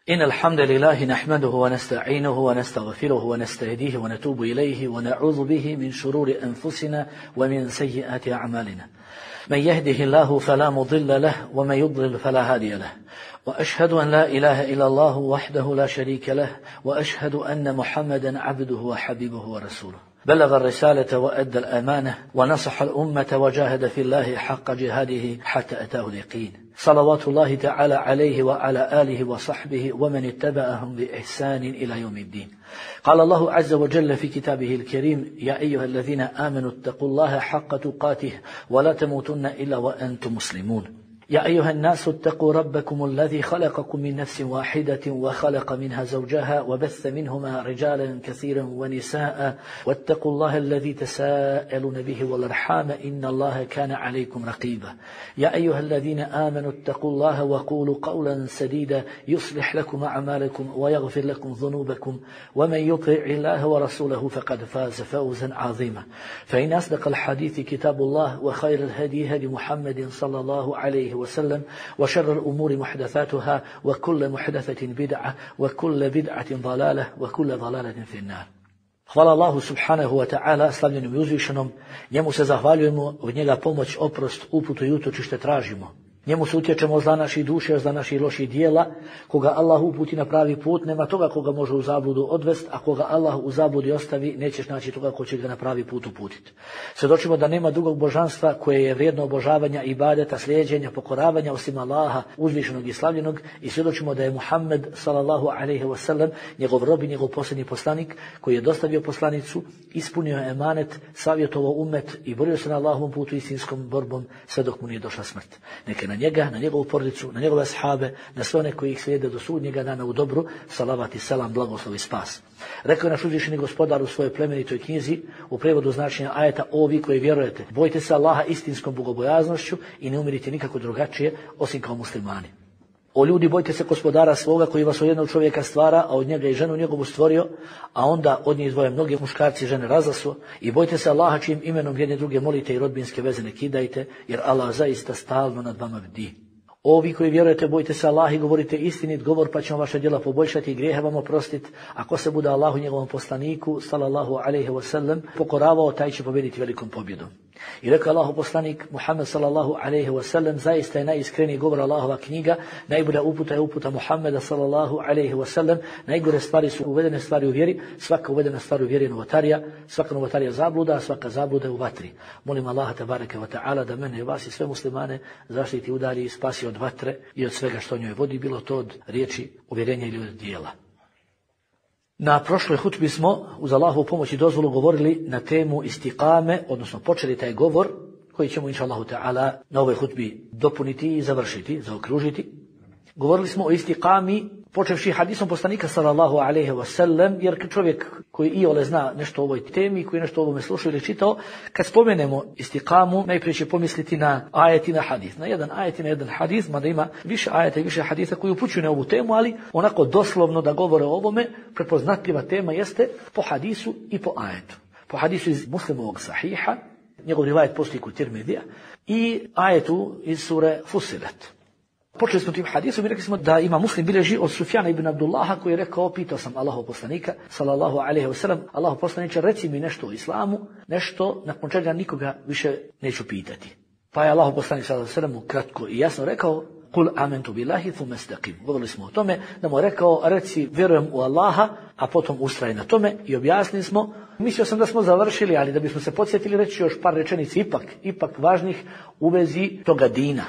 إن الحمد لله نحمده ونستعينه ونستغفره ونستهديه ونتوب إليه ونعوذ به من شرور أنفسنا ومن سيئات أعمالنا. من يهده الله فلا مضل له ومن يضلل فلا هادي له. وأشهد أن لا إله إلا الله وحده لا شريك له وأشهد أن محمدا عبده وحبيبه ورسوله. بلغ الرسالة وأدى الأمانة ونصح الأمة وجاهد في الله حق جهاده حتى أتاه اليقين. صلوات الله تعالى عليه وعلى آله وصحبه ومن اتبعهم بإحسان إلى يوم الدين. قال الله عز وجل في كتابه الكريم: يا أيها الذين آمنوا اتقوا الله حق تقاته ولا تموتن إلا وأنتم مسلمون. يا أيها الناس اتقوا ربكم الذي خلقكم من نفس واحدة وخلق منها زوجها وبث منهما رجالا كثيرا ونساء واتقوا الله الذي تساءلون به والأرحام إن الله كان عليكم رقيبا. يا أيها الذين آمنوا اتقوا الله وقولوا قولا سديدا يصلح لكم أعمالكم ويغفر لكم ذنوبكم ومن يطع الله ورسوله فقد فاز فوزا عظيما. فإن أصدق الحديث كتاب الله وخير الهدي هدي محمد صلى الله عليه وسلم وشر الأمور محدثاتها وكل محدثة بدعة وكل بدعة ضلالة وكل ضلالة في النار. Hvala Allahu subhanahu wa ta'ala, slavljenom i uzvišenom, njemu se zahvaljujemo, od njega pomoć, oprost, uputu i utočište tražimo. Njemu se utječemo za naših duše, za naših loših dijela. Koga Allah uputi na pravi put, nema toga koga može u zabludu odvest, a koga Allah u zabludi ostavi, nećeš naći toga ko će ga na pravi put uputiti. Svjedočimo da nema drugog božanstva koje je vrijedno obožavanja, ibadeta, slijeđenja, pokoravanja osim Allaha, uzvišenog i slavljenog, i svjedočimo da je Muhammed sallallahu alejhi ve sellem njegov rob i njegov posljednji poslanik koji je dostavio poslanicu, ispunio emanet, savjetovao umet i borio se na Allahovom putu istinskom borbom sve dok mu nije došla smrt. Neke na njega, na njegovu porodicu, na njegove ashabe, na sve one koji ih slijede do sudnjega dana u dobru, salavat i selam, blagoslov i spas. Rekao je naš uzvišeni gospodar u svojoj plemenitoj knjizi, u prevodu značenja ajeta: o vi koji vjerujete, bojte se Allaha istinskom bogobojaznošću i ne umirite nikako drugačije osim kao muslimani. O ljudi, bojte se gospodara svoga koji vas od jednog čovjeka stvara, a od njega i ženu njegovu stvorio, a onda od nje izdvoje mnoge muškarci i žene razlaso, i bojte se Allaha čijim imenom jedne druge molite i rodbinske veze ne kidajte, jer Allah zaista stalno nad vama bdi. O vi koji vjerujete, bojte se Allaha i govorite istinit govor, pa ćemo vaša djela poboljšati i grijehe vam oprostiti. Ako se bude Allahu njegovom poslaniku sallallahu alejhi ve sellem pokoravao, taj će pobjediti velikom pobjedom. I rekao Allahu poslanik Muhammed sallallahu alejhi ve sellem: zaista je najiskreniji govor Allahova knjiga, najbolja uputa je uputa Muhammeda sallallahu alejhi ve sellem, najgore stvari su uvedene stvari u vjeri, svaka uvedena stvar u vjeri je novotarija, svaka novotarija zabluda, a svaka zabluda je u vatri. Molim Allaha tebareke ve taala da mene i vas i sve muslimane zaštiti, udalji i spasi od vatre i od svega što njoj vodi, bilo to od riječi, uvjerenja ili od dijela. Na prošloj hutbi smo uz Allahovu pomoć i dozvolu govorili na temu istiqame, odnosno počeli taj govor koji ćemo inša Allahu ta'ala na ovoj hutbi dopuniti i završiti, zaokružiti. Govorili smo o istiqami počevši hadisom poslanika sallallahu alejhi ve sellem, jer čovjek koji iole zna nešto o ovoj temi, koji nešto o ovome slušao ili čitao, kad spomenemo istiqamu, najprije će pomisliti na ajet i na hadis. Na jedan ajet i na jedan hadis, mada ima više ajeta i više hadisa koji upućuju na ovu temu, ali onako doslovno da govore o ovome, prepoznatljiva tema jeste po hadisu i po ajetu. Po hadisu iz Muslimovog sahiha, njegov rivajet postoji kod Tirmidija, i ajetu iz sure Fussilet. Počeli smo tim hadisom i rekli smo da ima Muslim bilježi od Sufjana ibn Abdullaha koji je rekao: pitao sam Allahov poslanika sallallahu alejhi ve sellem: Allahov poslaniče, reci mi nešto o islamu, nešto nakon čega nikoga više neću pitati. Pa je Allahov poslanik sallallahu alejhi ve sellem kratko i jasno rekao: Kul amantu billahi thumma istaqim. Govorili smo o tome da mu je rekao: reci vjerujem u Allaha, a potom ustraj na tome, i objasnili smo. Mislio sam da smo završili, ali da bismo se podsjetili reći još par rečenica ipak važnih u vezi toga dina.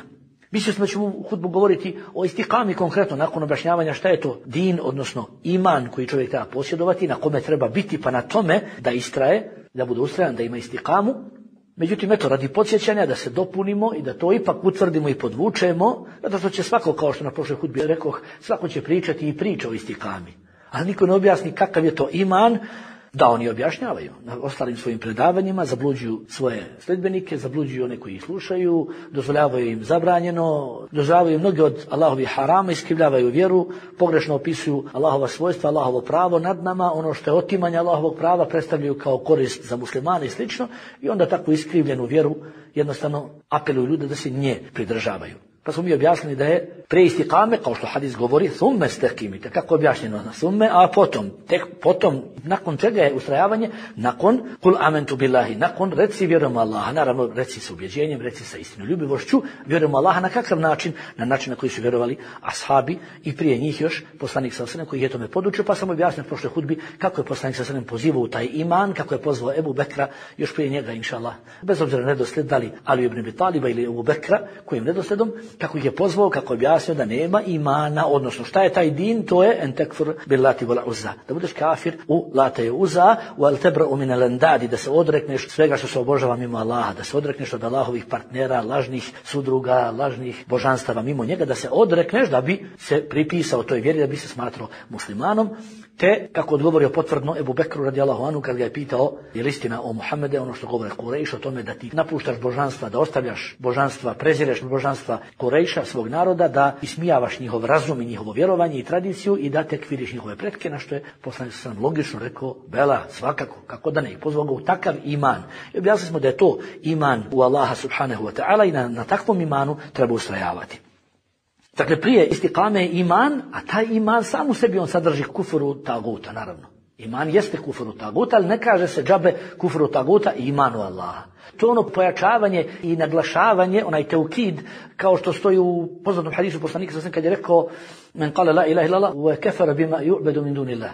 Mislio sam da ćemo u hutbu govoriti o istiqami konkretno, nakon objašnjavanja šta je to din, odnosno iman koji čovjek treba posjedovati, na kome treba biti, pa na tome da istraje, da bude ustrajan, da ima istiqamu. Međutim, eto, radi podsjećanja da se dopunimo i da to ipak utvrdimo i podvučemo, zato što će svako, kao što na prošloj hutbi rekoh, svako će pričati i priča o istiqami. Ali niko ne objasni kakav je to iman, da oni objašnjavaju na ostalim svojim predavanjima, zabluđuju svoje sledbenike, zabluđuju one koji ih slušaju, dozvoljavaju im zabranjeno, dozvoljavaju mnoge od Allahovih harama, iskrivljavaju vjeru, pogrešno opisuju Allahova svojstva, Allahovo pravo nad nama, ono što je otimanje Allahovog prava predstavljaju kao korist za muslimane i slično, i onda takvu iskrivljenu vjeru jednostavno apeluju ljude da se nje pridržavaju. Pa smo mi objasnili da je prije istikame, kao što hadis govori, thumme stakimite, kako je objašnjeno na thumme, a potom, nakon čega je ustrajavanje, nakon kul amentu billahi, nakon reci vjerujem Allaha, naravno reci sa ubjeđenjem, reci sa istinoljubivošću, vjerujem Allaha na kakav način, na način na koji su vjerovali ashabi i prije njih još poslanik sallallahu alejhi ve sellem koji je tome podučio, pa sam objasnio u prošloj hudbi kako je poslanik sallallahu alejhi ve sellem pozivao u taj iman, kako je pozvao Ebu Bekra još prije njega, inshallah, bez obzira na nedosled da li Ali ibn Abi Taliba ili Ebu Bekra, kojim nedosledom, kako ih je pozvao, kako je objasnio da nema imana, odnosno šta je taj din, to je en tekfur bil lati wal uzza, da budeš kafir u lata i uzza, wal tebra'u min al andadi, da se odrekneš svega što se obožava mimo Allaha, da se odrekneš od Allahovih partnera, lažnih sudruga, lažnih božanstava mimo njega, da se odrekneš da bi se pripisao toj vjeri, da bi se smatrao muslimanom. Te, kako odgovorio potvrdno Ebu Bekru radijallahu anhu kad ga je pitao je li istina o Muhammede, ono što govore Kurejš o tome da ti napuštaš božanstva, da ostavljaš božanstva, prezireš božanstva Kurejša, svog naroda, da ismijavaš njihov razum i njihovo vjerovanje i tradiciju i da tekfiriš njihove pretke, na što je poslanik sam logično rekao, bela, svakako, kako da ne, i pozvao ga u takav iman. I objasnili smo da je to iman u Allaha subhanahu wa ta'ala i na takvom imanu treba ustrajavati. Dakle, prije istikame je iman, a taj iman sam u sebi on sadrži kufru taguta, naravno. Iman jeste kufru taguta, ali ne kaže se džabe kufru taguta i imanu Allaha. To je ono pojačavanje i naglašavanje, onaj teukid, kao što stoji u poznatom hadisu poslanika sallallahu kad je rekao men qala la ilaha illallah wa kafara bima yu'badu min dunillah.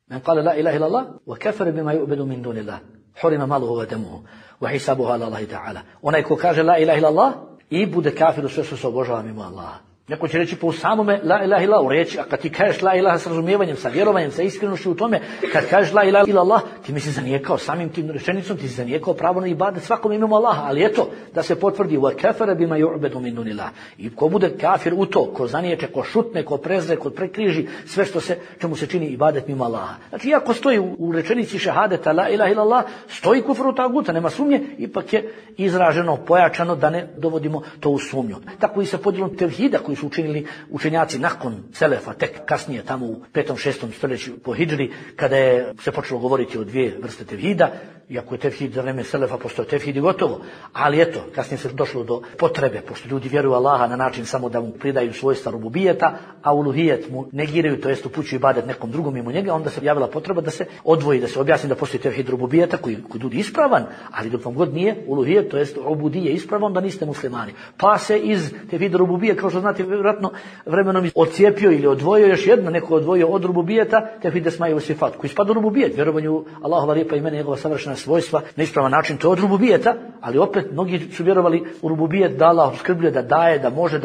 Men qala la ilaha illallah wa kafara bima yu'badu min dunillah. Hurima maluhu wa damuhu wa hisabuhu ala Allahi ta'ala. Onaj ko kaže la ilaha illallah i bude kafir u sve što se obožava mimo Allaha. Neko će reći po samome la ilaha illallah u riječi, a kad ti kažeš la ilaha s razumijevanjem, sa vjerovanjem, sa iskrenošću u tome, kad kažeš la ilaha illallah, ti misli zanijekao samim tim rečenicom, ti si zanijekao pravo na ibadet svakom imamo Allaha, ali eto, da se potvrdi wa kafara bima yu'badu min dunillah. I ko bude kafir u to, ko zaniječe, ko šutne, ko prezre, ko prekriži sve što se čemu se čini ibadet mimo Allaha. Znači, iako stoji u rečenici šehadeta la ilaha illallah, stoji kufru taguta, nema sumnje, ipak je izraženo, pojačano da ne dovodimo to u sumnju. Tako i sa podjelom tevhida koji su učinili učenjaci nakon selefa, tek kasnije tamo u 5. 6. stoljeću po hidžri, kada je se počelo govoriti o dvije vrste tevhida, iako je tevhid za vreme selefa postao tevhid i gotovo, ali eto, kasnije se došlo do potrebe, pošto ljudi vjeruju Allaha na način samo da mu pridaju svojstva rububijeta, a uluhijet mu negiraju, to jest upućuju ibadet nekom drugom mimo njega, onda se javila potreba da se odvoji, da se objasni da postoji tevhid rububijeta koji ljudi ispravan, ali dok vam god nije uluhijet, to jest ubudije ispravan, da niste muslimani. Pa se iz tevhid rububije, kao što znate, vjerojatno vremenom odcijepio ili odvojio još jedno, neko odvojio od rububijeta, tevhid esma'i wa sifat, koji spada u rububijet, vjerovanju Allahova lijepa imena, njegova savršena svojstva, na ispravan način, to je od rububijeta, ali opet mnogi su vjerovali u rububijet da Allah opskrbljuje, da daje, da može,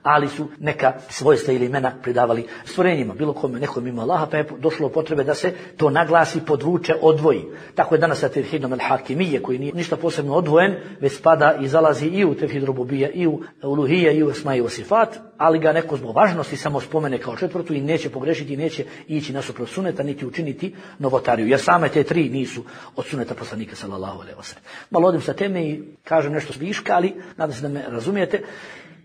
ali su neka svojstva ili imena pridavali stvorenjima, bilo kome, nekom ima Allaha, pa je došlo potrebe da se to naglasi, podvuče, odvoji. Tako je danas sa tevhidom al-hakimije, koji nije ništa posebno odvojen, već spada i zalazi i u tevhid rububije, i u uluhije, i u esma'i wa sifat, ali ga neko zbog važnosti samo spomene kao četvrtu i neće pogrešiti, neće ići nasuprot suneta, niti učiniti novotariju, jer same te tri nisu od suneta poslanika sallallahu alejhi ve sellem. Malo odim sa teme i kažem nešto viška, ali nadam se da me razumijete.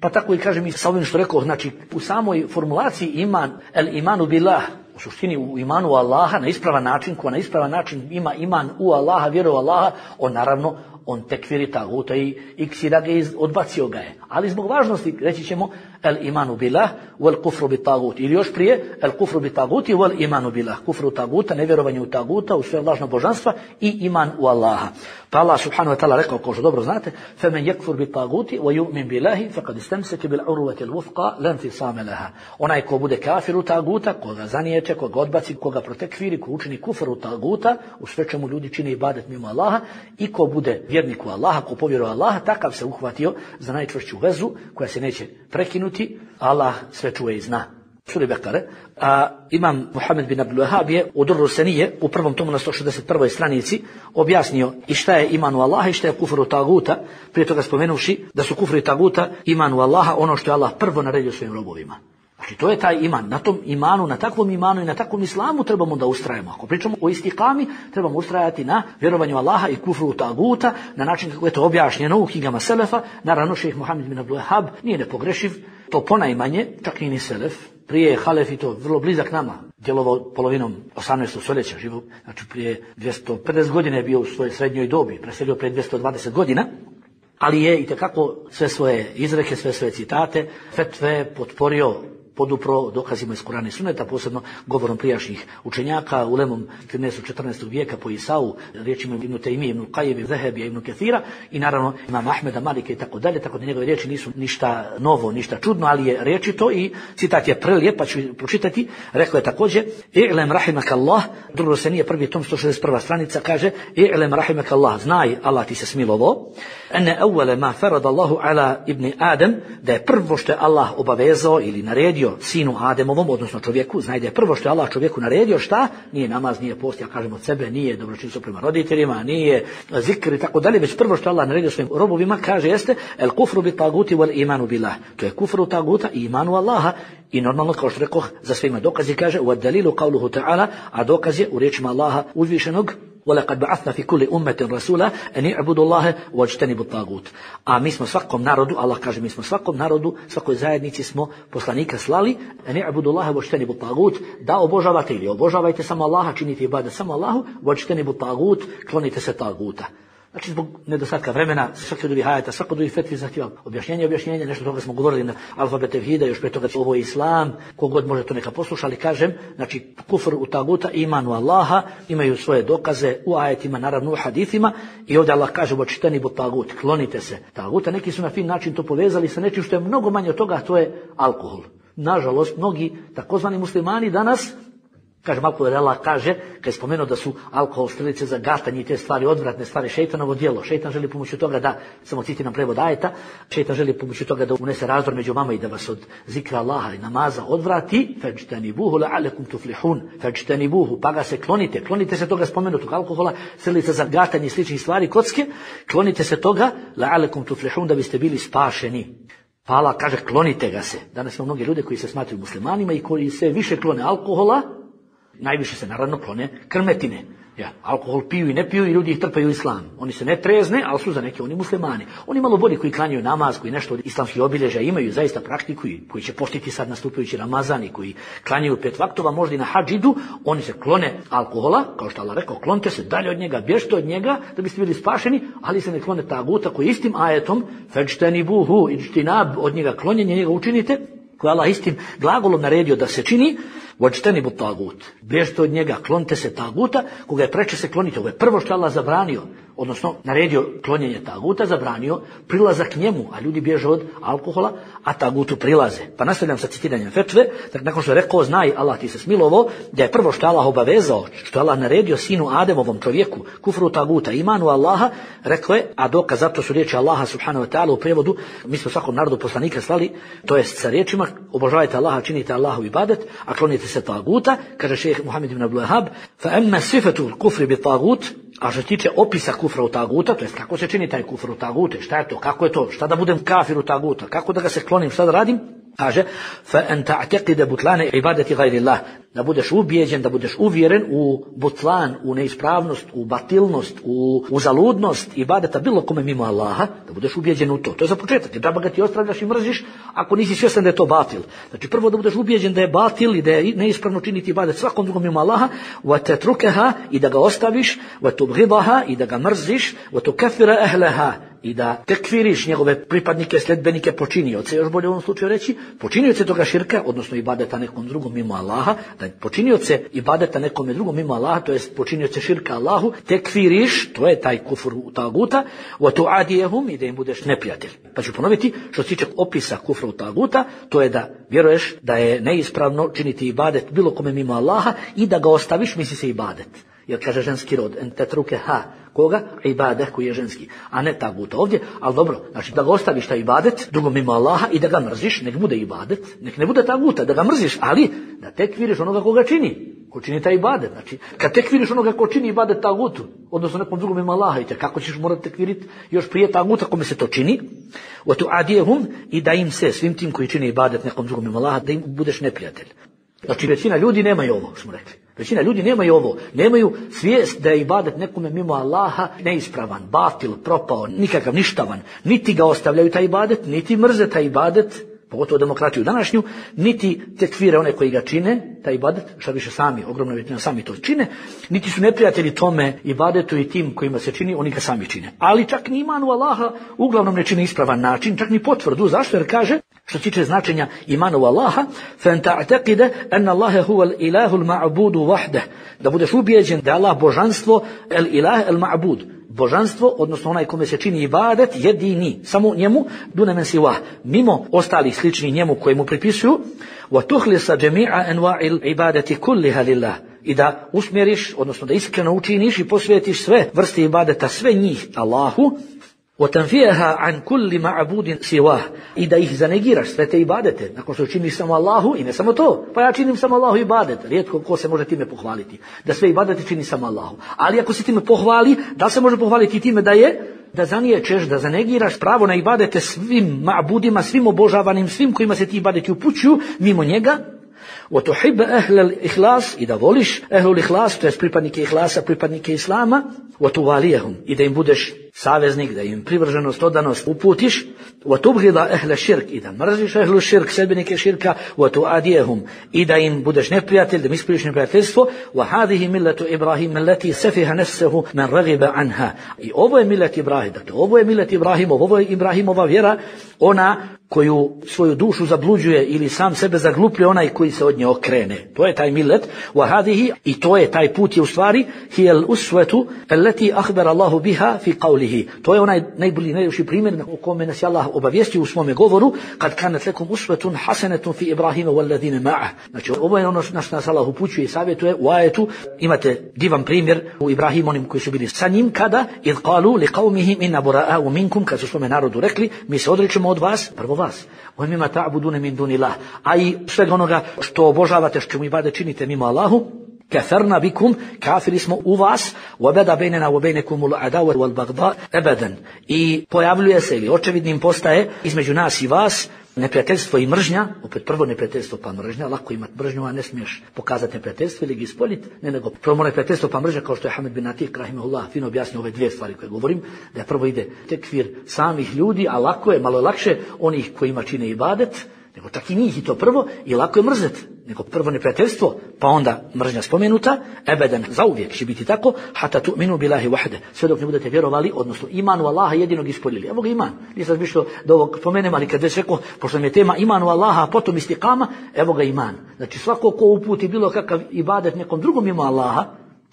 Pa tako i kažem i sa ovim što rekao, znači u samoj formulaciji iman, el imanu billah, u suštini u imanu u Allaha na ispravan način, ko na ispravan način ima iman u Allaha, vjeru u Allaha, on naravno on tekfiri taguta i ksira ga odbacio ga je. Ali zbog važnosti reći ćemo el imanu billah wal kufru bi tagut, ili još prije el kufru bi taguti wal imanu billah, kufru taguta, nevjerovanje u taguta, u sve lažno božanstva i iman u Allaha. Pa Allah subhanahu wa ta'ala rekao, kao što dobro znate, femen yakfur bi taguti wa yu'min billahi faqad istamsaka bil urwati al wufqa lan fisama laha. Onaj ko bude kafir u taguta, koga zaniječe, koga odbaci, koga protekfiri, ko učini kufr u taguta, u sve čemu ljudi čine ibadet mimo Allaha, i ko bude vjernik u Allaha, ko povjeruje Allaha, takav se uhvatio za najčvršću vezu koja se neće prekinuti. Allah sve čuje i zna. Suri Bekare, a imam Muhammed bin Abdul Wahhab je u Durru Senije u prvom tomu na 161. stranici objasnio i šta je iman u Allaha i šta je kufr u taguta, prije toga spomenuvši da su kufr i taguta iman u Allaha ono što je Allah prvo naredio svojim robovima. Znači to je taj iman, na tom imanu, na takvom imanu i na takvom islamu trebamo da ustrajemo. Ako pričamo o istikami, trebamo ustrajati na vjerovanju Allaha i kufru taguta, na način kako je to objašnjeno u knjigama selefa. Naravno, šejh Muhammed bin Abdul Wahhab nije nepogrešiv, to ponajmanje, čak i ni selef. Prije je halef i to vrlo blizak nama, djelovao polovinom 18. stoljeća, živo, znači prije 250 godina je bio u svojoj srednjoj dobi, preselio prije 220 godina. ali je itekako sve svoje izreke, sve svoje citate, fetve potporio, podupro dokazima iz Kurana i Sunneta, posebno govorom prijašnjih učenjaka, ulemom 13. vijeka po Isau, riječima Ibn Tejmije, Ibn Qayyim, Zehebija, Ibn Kathira i naravno imam Ahmeda, Malika i tako dalje, tako da njegove riječi nisu ništa novo, ništa čudno, ali je rečito i citat je prelijep, pa ću pročitati. Rekao je također: "I'lem rahimakallah", drugo se nije prvi tom 161. stranica, kaže: "I'lem rahimakallah", znaj, Allah ti se smilovao, "ene awwala ma farada Allahu ala ibn Adam", da je prvo što je Allah obavezao ili naredio sinu Ademovom, odnosno čovjeku, znaj da je prvo što je Allah čovjeku naredio, šta? Nije namaz, nije post, ja kažem od sebe, nije dobročinstvo prema roditeljima, nije zikr i tako dalje, već prvo što je Allah naredio svojim robovima, kaže, jeste el kufru bi taguti wal imanu billah. To je kufru taguta i imanu Allaha. I normalno, kao što rekoh, za svima dokazi kaže wa dalilu qawluhu ta'ala, a dokaz je u riječima Allaha uzvišenog: وَلَقَدْ بَعَثْنَا فِي كُلِّ أُمَّةٍ رَسُولًا أَنِ اعْبُدُوا اللَّهَ وَاجْتَنِبُوا الطَّاغُوتَ. A mi smo svakom narodu, Allah kaže, mi smo svakom narodu, svakoj zajednici smo poslanika slali: أَنِ اعْبُدُوا اللَّهَ وَاجْتَنِبُوا الطَّاغُوتَ, da obožavate ili obožavajte samo Allaha, činite ibadet samo Allahu, وَاجْتَنِبُوا الطَّاغُوتَ, klonite se taguta. Znači, zbog nedostatka vremena, svaki od ovih ajeta, svako od ovih fetvi zahtjeva objašnjenje, nešto toga smo govorili na alfabet tevhida, još pre toga ovo je islam, kogod može to neka posluša, ali kažem, znači, kufr u taguta, iman u Allaha, imaju svoje dokaze u ajetima, naravno u hadithima, i ovdje Allah kaže: "Vočitani bu tagut", klonite se taguta. Neki su na fin način to povezali sa nečim što je mnogo manje od toga, to je alkohol. Nažalost, mnogi takozvani muslimani danas, kaže Malko Allah kaže, kad je spomenuo da su alkohol, strelice za gatanje i te stvari, odvratne stvari, šejtanovo djelo. Šejtan želi pomoću toga da, samo citiram prevod ajeta, šejtan želi pomoću toga da unese razdor među vama i da vas od zikra Allaha i namaza odvrati. Fajtanibuhu la'alakum tuflihun. Fajtanibuhu, pa ga se klonite se toga spomenutog alkohola, strelice za gatanje i sličnih stvari, kocke, klonite se toga la'alakum tuflihun, da biste bili spašeni. Pa Allah kaže: klonite ga se. Danas ima mnogi ljudi koji se smatraju muslimanima i koji se više klone alkohola. Najviše se naravno klone krmetine. Ja, alkohol piju i ne piju i ljudi ih trpaju islam. Oni se ne trezne, ali su za neke oni muslimani. Oni malo bolji koji klanjaju namaz, koji nešto od islamskih obilježja imaju, zaista praktikuju, koji će poštiti sad nastupajući Ramazan i koji klanjaju 5 vaktova, možda i na hadž idu, oni se klone alkohola, kao što Allah rekao: klonite se dalje od njega, bježite od njega da biste bili spašeni, ali se ne klone taguta koji istim ajetom fajtanibuhu ijtinab, od njega klonjenje, njega učinite, koji Allah istim glagolom naredio da se čini. Vočtenibu tagut, bježite od njega, klonite se taguta, koga je preče se klonite. Ovo je prvo što je Allah zabranio, odnosno naredio klonjenje taguta, zabranio prilazak njemu, a ljudi bježe od alkohola, a tagutu prilaze. Pa nastavljam sa citiranjem fetve, dakle nakon što je rekao: znaj, Allah ti se smilovao, da je prvo što je Allah obavezao, što je Allah naredio sinu Ademovom čovjeku, kufru taguta, imanu Allaha, rekao je, a dokaz zato su riječi Allaha subhanahu wa ta'ala u prijevodu: mi smo svakom narodu poslanika slali, to jest sa riječima: obožavajte Allaha, činite Allahu ibadet, a klonite se taguta. Kaže šejh Muhammed ibn Abdul Wahhab: fa amma sifatu al-kufri bi tagut, a što se tiče opisa kufra u taguta, to jest kako se čini taj kufr u tagute, šta je to, kako je to, šta da budem kafir u taguta, kako da ga se klonim, šta da radim? Kaže: fa an ta'taqida butlana ibadati ghayri Allah, da budeš ubijeđen, da budeš uvjeren u butlan, u neispravnost, u batilnost, u zaludnost ibadeta bilo kome mimo Allaha, da budeš ubijeđen u to. To je za početak, džaba ga ti ostavljaš i mrziš ako nisi svjestan da je to batil. Znači prvo da budeš ubijeđen da je batil i da je neispravno činiti ibadet svakom drugom mimo Allaha, wa tatrukaha, i da ga ostaviš, wa tubghidaha, i da ga mrziš, wa tukaffira ahlaha, i da tekfiriš njegove pripadnike, sledbenike, počinioce, još bolje u ovom slučaju reći, počinioce toga širka, odnosno ibadeta nekom drugom mimo Allaha, da počinioce ibadeta nekome drugom mimo Allaha, to jest počinioce širka Allahu, tekfiriš, to je taj kufr u taguta, wa tu'adiyahum, i da im budeš neprijatelj. Pa ću ponoviti, što se tiče opisa kufra u taguta, to je da vjeruješ da je neispravno činiti ibadet bilo kome mimo Allaha i da ga ostaviš, misli se ibadet. Jer kaže ženski rod, en tetruke ha, koga? Ibadet koji je ženski, a ne taguta ovdje, ali dobro, znači da ga ostaviš taj ibadet drugom mimo Allaha i da ga mrziš, nek bude ibadet, nek ne bude taguta, da ga mrziš, ali da tekfiriš onoga koga čini, ko čini taj ibadet. Znači, kad tekfiriš onoga ko čini ibadet tagutu, odnosno nekom drugom mimo Allaha, i kako ćeš morati tekfiriti još prije taguta kome se to čini, wa tu'adiyahum, i da im se, svim tim koji čini ibadet nekom drugom mimo Allaha, da im budeš neprijatelj. Znači, većina ljudi nemaju ovo, smo rekli. Većina ljudi nemaju ovo, nemaju svijest da je ibadet nekome mimo Allaha neispravan, batil, propao, nikakav, ništavan. Niti ga ostavljaju taj ibadet, niti mrze taj ibadet pogotovo demokratiju današnju, niti tekfire one koji ga čine, taj ibadet, šta više sami, ogromna većina sami to čine, niti su neprijatelji tome ibadetu i tim kojima se čini, oni ga sami čine. Ali čak ni iman u Allaha uglavnom ne čini ispravan način, čak ni potvrdu. Zašto? Jer kaže, što se tiče značenja imana u Allaha, فَأَنْ تَعْتَقِدَ أَنَّ اللَّهَ هُوَ الْإِلَهُ الْمَعْبُودُ وَحْدَهُ, da budeš ubijeđen da je Allah božanstvo, el-ilah el-ma'bud, božanstvo, odnosno onaj kome se čini ibadet, jedini, samo njemu, dune men siwa, mimo ostalih sličnih njemu koji mu pripisuju, وَتُخْلِصَ جَمِيعَ أَنْوَاعِ الْعِبَادَةِ كُلِّهَا لِلَّهِ, i da usmjeriš, odnosno da iskreno učiniš i posvetiš sve vrste ibadeta, sve njih Allahu, وَتَنْفِيهَا عَنْ كُلِّ مَعْبُودٍ سِوَاهُ, i da ih zanegiraš, sve te ibadete, nakon što činiš samo Allahu, i ne samo to, pa ja činim samo Allahu ibadet, rijetko ko se može time pohvaliti, da sve ibadete čini samo Allahu. Ali ako se time pohvali, da se može pohvaliti time da zaniječeš, da zanegiraš pravo na ibadete svim ma'budima, svim obožavanim, svim kojima se ti ibadeti upućuju, mimo njega, وَتُحِبَّ أَهْلَ الْإِخْلَاسِ, i da voliš ehlul ihlas, to je pripadnike ihlasa, pripadnike islama, وَتُوَالِيَهُمْ, i da im budeš saveznik, da im privrženost, odanost uputiš, وَتُبْغِضَ أَهْلَ الشِّرْكِ, i da mrziš ehlu širk, sedbenike širka, وَتُعَادِيَهُمْ, i da im budeš neprijatelj, da im ispriješ neprijateljstvo, وَهَذِهِ مِلَّةُ إِبْرَاهِيمَ الَّتِي سَفِهَ نَفْسَهُ مَنْ رَغِبَ عَنْهَا, i ovo je millet Ibrahim, dakle ovo je millet Ibrahimov, ovo je Ibrahimova vjera, ona koju svoju dušu zabluđuje ili sam sebe zaglupljuje onaj koji se od nje okrene. To je taj millet, وَهَذِهِ, i to je taj put je u stvari, هِيَ الْأُسْوَةُ الَّتِي أَخْبَرَ اللَّهُ بِهَا فِي قَوْلِهِ, to je onaj najbolji, najljepši primjer o kome nas je Allah obavijestio u svome govoru, kad kanat lekum usvetun hasanetun fi Ibrahima wallazina ma'ah. Znači ovo je ono što nas Allah upućuje i savjetuje u ajetu. Imate divan primjer u Ibrahimu, onim koji su bili sa njim, kada idh qalu li qawmihim inna bura'a'u minkum, kad su svome narodu rekli, mi se odričemo od vas, prvo vas, wa mimma ta'buduna min dunillah, a i svega onoga što obožavate, što mu ibadet činite mimo Allahu, كفرنا بكم, kafiri smo u vas, وبدا بيننا وبينكم العداوة والبغضاء أبدا, i pojavljuje se ili očevidnim postaje između nas i vas neprijateljstvo i mržnja. Opet prvo neprijateljstvo pa mržnja, lako imati mržnju, a ne smiješ pokazati neprijateljstvo ili ga ispoljiti, ne nego prvo neprijateljstvo pa mržnja, kao što je Hamed bin Atik rahimahullah fino objasnio ove dvije stvari koje govorim, da je prvo ide tekfir samih ljudi, a lako je, malo lakše onih kojima čine ibadet, nego čak i njih, i to prvo, i lako je mrzeti, nego prvo neprijateljstvo, pa onda mržnja spomenuta, ebeden, zauvijek će biti tako, hata tu'minu billahi wahde, sve dok ne budete vjerovali, odnosno imanu Allaha jedinog ispoljili. Evo ga iman, nisam mislio da ovog spomenem, ali kad već rekao, pošto nam je tema imanu Allaha, a potom istiqama, evo ga iman. Znači svako ko uputi bilo kakav ibadet nekom drugom mimo Allaha,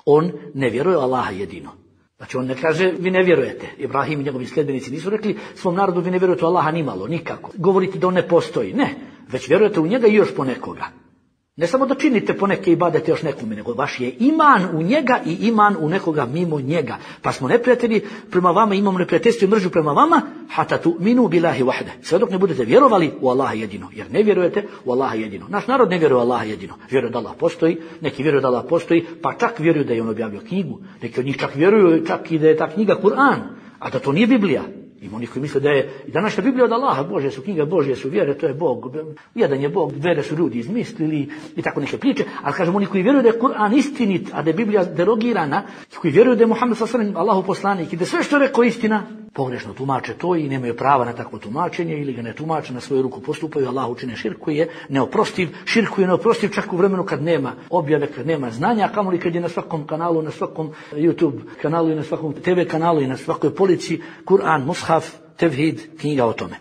on ne vjeruje Allaha jedino. Znači on ne kaže vi ne vjerujete. Ibrahim i njegovi sljedbenici nisu rekli svom narodu vi ne vjerujete u Allaha nimalo, nikako. Govorite da on ne postoji. Ne, već vjerujete u njega i još po nekoga. Ne samo da činite poneke ibadete još nekome, nego vaš je iman u njega i iman u nekoga mimo njega. Pa smo neprijatelji prema vama, imamo neprijateljstvo i mržnju prema vama, hata tu'minu billahi wahde. Sve dok ne budete vjerovali u Allaha jedino, jer ne vjerujete u Allaha jedino. Naš narod ne vjeruje u Allaha jedino. Vjeruje da Allah postoji, neki vjeruju da Allah postoji, pa čak vjeruju da je on objavio knjigu. Neki od njih čak vjeruju čak i da je ta knjiga Kur'an, a da to nije Biblija. Ima onih koji misle da je i današnja Biblija od Allaha, Božje su knjige, Božje su vjere, to je Bog, jedan je Bog, vjere su ljudi izmislili i tako neke priče, ali kažemo oni koji vjeruju da je Kur'an istinit, a da je Biblija derogirana, koji vjeruju da je Muhammed sallallahu alejhi ve sellem Allahov poslanik i da sve što je rekao istina, pogrešno tumače to i nemaju prava na takvo tumačenje ili ga ne tumače, na svoju ruku postupaju, Allahu čine širk koji je neoprostiv, širk koji je neoprostiv čak u vremenu kad nema objave, kad nema znanja, a kamoli kad je na svakom kanalu, na svakom YouTube kanalu i na svakom TV kanalu i na svakoj polici Kur'an, mushaf, tevhid, knjiga o tome.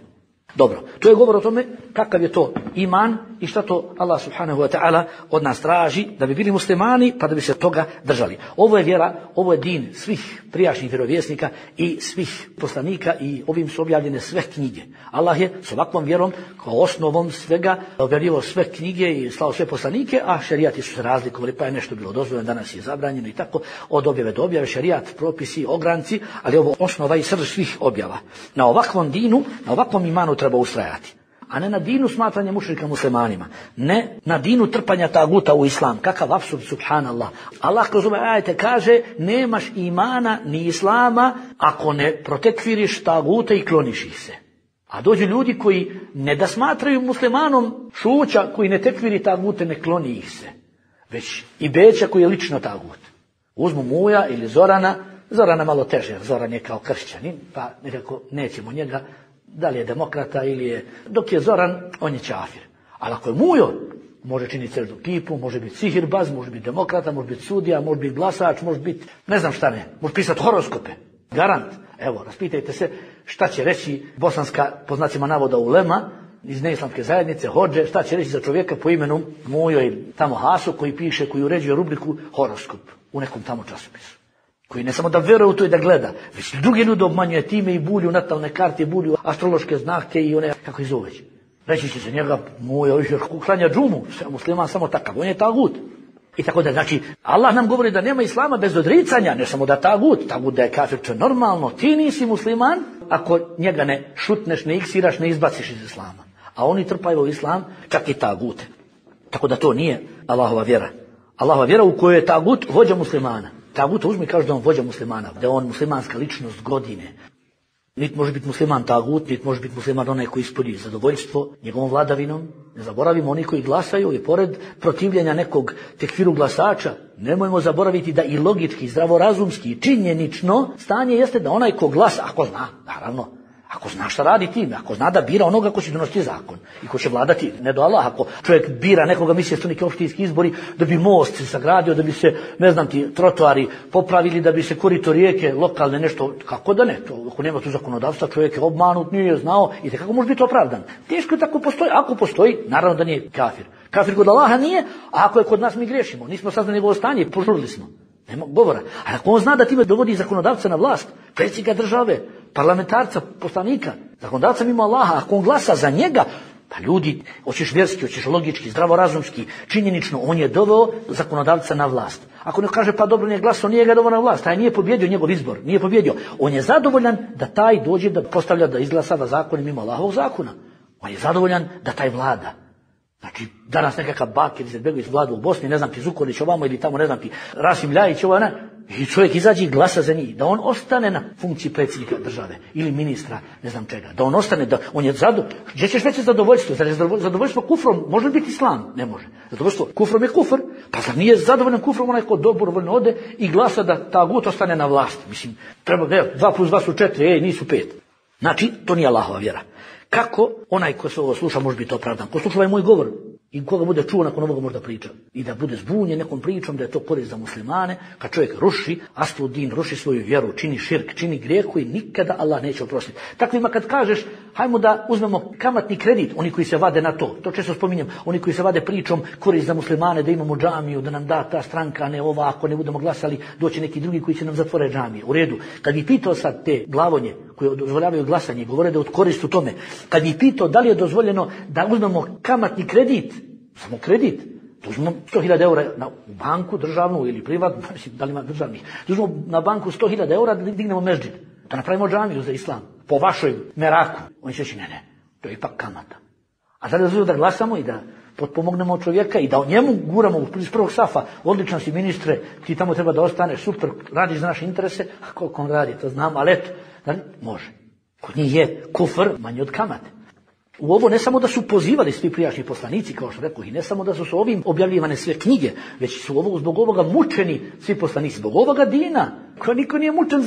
Dobro, to je govor o tome kakav je to iman i šta to Allah subhanahu wa ta'ala od nas traži da bi bili muslimani pa da bi se toga držali. Ovo je vjera, ovo je din svih prijašnjih vjerovjesnika i svih poslanika i ovim su objavljene sve knjige. Allah je s ovakvom vjerom kao osnovom svega objavio sve knjige i slao sve poslanike, a šerijati su se razlikovali, pa je nešto bilo dozvoljeno, danas je zabranjeno i tako, od objave do objave, šerijat, propisi, ogranci, ali ovo osnova i srž svih objava. Na ovakvom dinu, na ovakvom imanu treba ustrajati. A ne na dinu smatranja mušrika muslimanima. Ne na dinu trpanja taguta u islam. Kakav apsurd, subhanallah. Allah kroz ove ajete kaže nemaš imana ni islama ako ne protekfiriš taguta i kloniš ih se. A dođu ljudi koji ne da smatraju muslimanom šuća koji ne tekfiri tagute, ne kloni ih se. Već i Beća koji je lično tagut. Uzmu Muja ili Zorana malo teže, jer Zoran je kao kršćanin, pa nekako nećemo njega, Da li je demokrata ili je... Dok je Zoran, on je čafir. Ali ako je Mujo, može činiti crdu kipu, može biti sihirbaz, može biti demokrata, može biti sudija, može biti glasač, može biti ne znam šta ne. Može pisati horoskope. Garant. Evo, raspitajte se šta će reći bosanska, po znacima navoda, ulema iz neislamske zajednice, hodže, šta će reći za čovjeka po imenu Mujo ili tamo Haso koji piše, koji uređuje rubriku horoskop u nekom tamo časopisu. Koji ne samo da veruje u to i da gleda, već drugi ljudi obmanjuje time i bulju natalne karte, bulju astrološke znake i one, kako ih zove. Reći će se njega, Mujo, klanja džumu, musliman samo takav, on je tagut. I tako da, znači, Allah nam govori da nema islama bez odricanja, ne samo da tagut da je kafir, to je normalno, ti nisi musliman ako njega ne šutneš, ne iksiraš, ne izbaciš iz islama. A oni trpaju u islam, čak i tagute. Tako da to nije Allahova vjera. Allahova vjera u kojoj je tagut vođa muslimana. Tagut uzme i kaže da on vođa muslimana, da je on muslimanska ličnost godine. Niti može biti musliman tagut, niti može biti musliman onaj koji ispuni zadovoljstvo njegovom vladavinom. Ne zaboravimo oni koji glasaju i pored protivljenja nekog tekfiru glasača, nemojmo zaboraviti da i logički, zdravorazumski, činjenično stanje jeste da onaj ko glasa, ako zna, naravno, ako zna šta radi time, ako zna da bira onoga ko će donositi zakon i ko će vladati, ne do Allah, ako čovjek bira nekoga, misli da su neki opštinski izbori, da bi most se sagradio, da bi se, ne znam ti, trotoari popravili, da bi se korito rijeke, lokalne nešto, kako da ne, to, ako nema tu zakonodavstva, čovjek je obmanut, nije znao i kako može biti opravdan. Teško je tako postoji, ako postoji, naravno da nije kafir. Kafir kod Allaha nije, a ako je kod nas mi griješimo, nismo saznali njegovo stanje, požurili smo. Nema govora. A ako on zna da time dovodi zakonodavca na vlast, predsjednika države, parlamentarca, poslanika, zakonodavca mimo Allaha, ako on glasa za njega, pa ljudi, hoćeš vjerski, hoćeš logički, zdravorazumski, činjenično, on je doveo zakonodavca na vlast. Ako ne kaže pa dobro nije glasao, nije ga doveo na vlast, taj nije pobjedio njegov izbor, nije pobjedio. On je zadovoljan da taj dođe da postavlja, da izglasava zakone mimo Allahovog zakona. On je zadovoljan da taj vlada. Znači, danas nekakav Bakir Izetbegović vlada u Bosni, ne znam ti Zukorlić ovamo ili tamo, ne znam ti Rasim Ljajić ovo, ne? I čovjek izađe i glasa za njih, da on ostane na funkciji predsjednika države ili ministra, ne znam čega, da on ostane, da on je zadovoljan. Gdje ćeš veće zadovoljstvo? Zar je zadovoljstvo kufrom? Može li biti islam? Ne može. Zadovoljstvo kufrom je kufr, pa zar nije zadovoljan kufrom onaj ko dobrovoljno ode i glasa da tagut ostane na vlasti? Mislim, treba, 2 plus 2 su 4, nisu 5. Znači, to nije Allahova vjera. Kako onaj ko se ovo sluša može biti opravdan? Ko sluša ovaj moj govor i koga bude čuo nakon ovoga možda priča i da bude zbunjen nekom pričom da je to korist za muslimane, kad čovjek ruši asludin, ruši svoju vjeru, čini širk, čini grijeh koji nikada Allah neće oprostiti. Takvima kad kažeš hajmo da uzmemo kamatni kredit, oni koji se vade na to često spominjem, oni koji se vade pričom korist za muslimane, da imamo džamiju, da nam da ta stranka, ne ova, ako ne budemo glasali, doći neki drugi koji će nam zatvore džamije. U redu. Kad bi pitao sad te glavonje koji dozvoljavaju glasanje, govore da je od korist u tome, kad bi pitao da li je dozvoljeno da uzmemo kamatni kredit, samo kredit, da uzmemo 100.000 eura u banku državnu ili privatnu, da li ima državnih, da uzmemo na banku 100.000 eura da dignemo meždžid, da napravimo džamiju za islam, po vašoj meraku. Oni će reći ne, to je ipak kamata. A sada dozvoljeno da glasamo i da potpomognemo čovjeka i da o njemu guramo iz prvog safa, odličan si ministre, ti tamo treba da ostaneš, super, radiš za naše interese, a koliko on radi, to znam, ali eto, da li? Može. Kod njih je kufr manji od kamate. U ovo ne samo da su pozivali svi prijašnji poslanici, kao što rekao, i ne samo da su ovim objavljivane sve knjige, već su zbog ovoga mučeni svi poslanici, zbog ovoga dina, koja niko nije mučen